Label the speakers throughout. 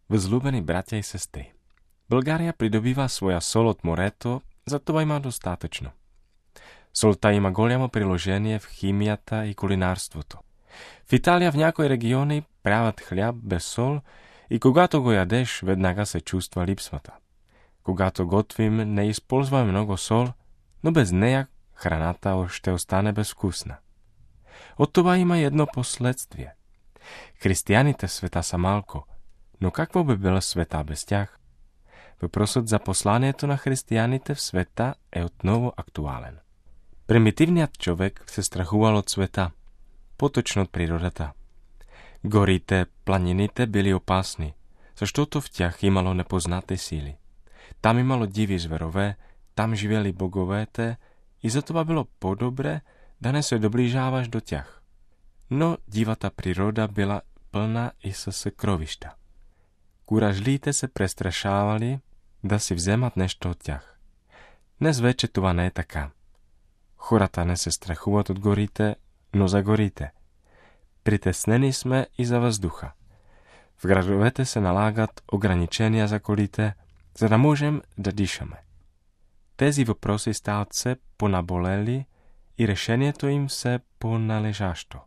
Speaker 1: Vzľúbení bratia i sestry, Bulgária pridobýva svoja sol od morето, za това има достатъчно. Солта има голямо приложение в химията и кулинарството. В Италия в някои региони правят хляб без сол и когато го ядеш, веднага се чувства липсвата. Когато готвим, не използваме много сол, но без нея храната ще остане безвкусна. От това има едно последствие. Християните в света са малко, но какво би била света без тях? Въпросът за посланието на християните в света е отново актуален. Примитивният човек се страхувал от света, по-точно от природата. Горите, планините били опасни, защото в тях имало непознати сили. Там имало диви зверове, там живели боговете и затова било по-добре да не се доближаваш до тях. Но дивата природа била пълна и със съкровища. Куражлиите се престрашавали да си вземат нещо от тях. Днес вече това не е така. Хората не се страхуват от горите, но за горите. Притеснени сме и за въздуха. В градовете се налагат ограничения за колите, за да можем да дишаме. Тези въпроси стават все понаболели и решението им все по-належащо.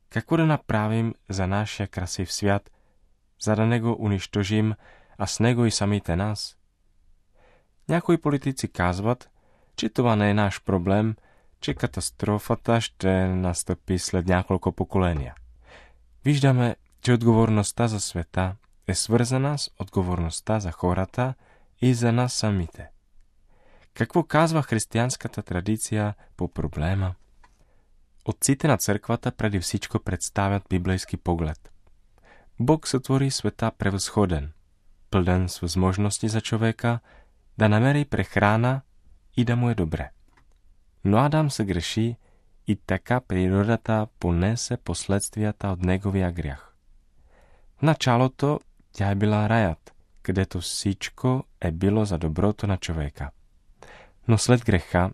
Speaker 1: Какво да направим за нашия красив свят, за да не го унищожим, а с него и самите нас? Някои политици казват, че това не е наш проблем, че катастрофата ще настъпи след няколко поколения. Виждаме, че отговорността за света е свързана с отговорността за хората и за нас самите. Какво казва християнската традиция по проблема? Отците на църквата преди всичко представят библейски поглед. Бог сътвори света превъзходен, пълен с възможности за човека да намери прехрана и да му е добре. Но Адам се греши и така природата понесе последствията от неговия грях. В началото тя е била раят, където всичко е било за доброто на човека. Но след греха,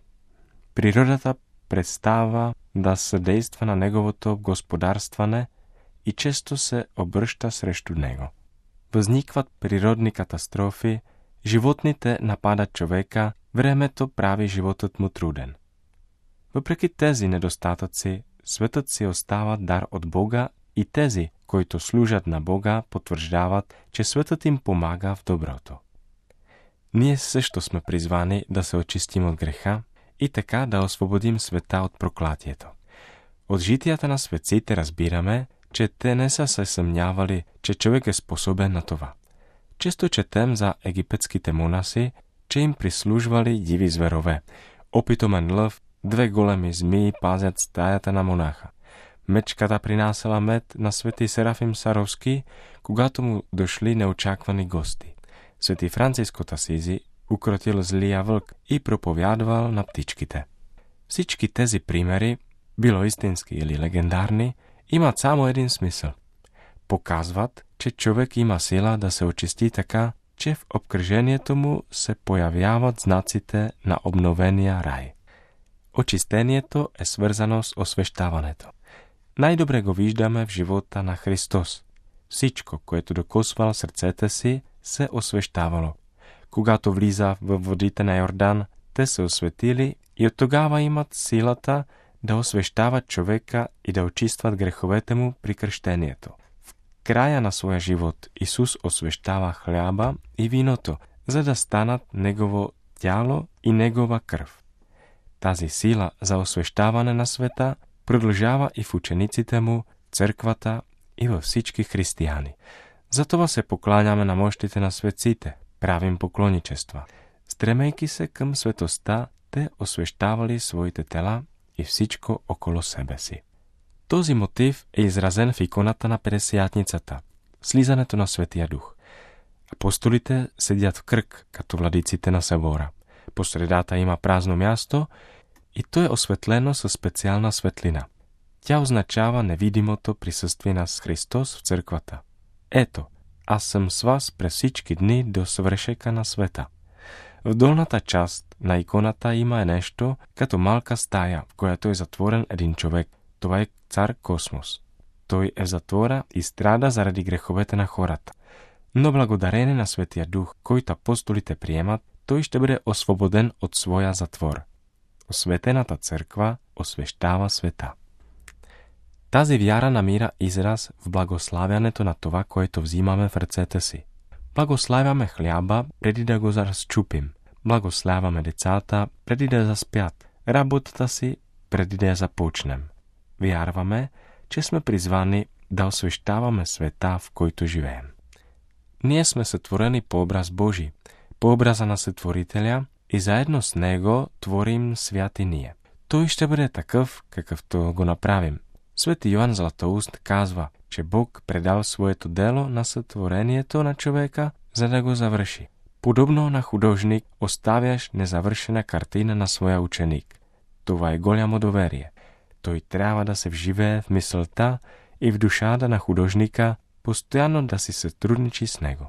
Speaker 1: природата престава да съдейства на неговото господарстване и често се обръща срещу него. Възникват природни катастрофи, животните нападат човека, времето прави животът му труден. Въпреки тези недостатъци, светът си остава дар от Бога и тези, които служат на Бога, потвърждават, че светът им помага в доброто. Ние също сме призвани да се очистим от греха и така да освободим света от проклятието. От житията на светците разбираме, че те не са се съмнявали, че човек е способен на това. Често четем за египетските монаси, че им прислужвали диви зверове. Опитомен лъв, 2 големи змии пазят стаята на монаха. Мечката принасяла мед на свети Серафим Саровски, когато му дошли неочаквани гости. Свети Франциск от Асизи укротил злия вълк и проповядвал на птичките. Всички тези примери, било истински или легендарни, имат само един смисъл. Показват, че човек има сила да се очисти така, че в обкръжението му се появяват знаците на обновения рай. Очистението е свързано с освещаването. Най-добре го виждаме в живота на Христос. Всичко, което докосвал сърцете си, се освещавало. Когато влиза във водите на Йордан, те се осветили и от тогава имат силата да освещават човека и да очистват греховете му при кръщението. В края на своя живот Исус освещава хляба и виното, за да станат Негово тяло и Негова кръв. Тази сила за освещаване на света продължава и в учениците му, църквата и във всички християни. Затова се покланяме на мощите на светците, правим поклонничества. Стремейки се към светостта, те освещавали своите тела и всичко около себе си. Този мотив е изразен в иконата на Петдесятницата, слизането на Светия Дух. Апостолите седят в кръг, като владиците на събора. По средата има празно място и то е осветлено със специална светлина. Тя означава невидимото присъствие на Христос в църквата. Ето, аз съм с вас през всички дни до свършека на света. В долната част на иконата има нещо като малка стая, в която е затворен един човек. Това е цар Космос. Той е в затвора и страда заради греховете на хората. Но благодарение на Светия Дух, който апостолите приемат, той ще бъде освободен от своя затвор. Осветената църква освещава света. Тази вяра намира израз в благославянето на това, което взимаме в ръцете си. Благославяме хляба, преди да го разчупим. Благославяме децата, преди да заспят. Работата си, преди да я започнем. Вярваме, че сме призвани да освещаваме света, в който живеем. Ние сме сътворени по образ Божий, по образа на Сътворителя и заедно с Него творим свят и ние. Той ще бъде такъв, какъвто го направим. Свети Йоан Златоуст казва, че Бог предал своето дело на сътворението на човека, за да го завърши. Подобно на художник, оставяш незавършена картина на своя ученик. Това е голямо доверие. Той трябва да се вживее в мисълта и в душата на художника, постоянно да си сътрудничи с него.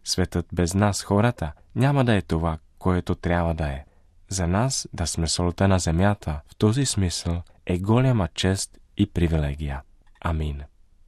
Speaker 1: Светът без нас, хората, няма да е това, което трябва да е. За нас да сме солта на земята, в този смисъл, е голяма чест и привилегия. Амин.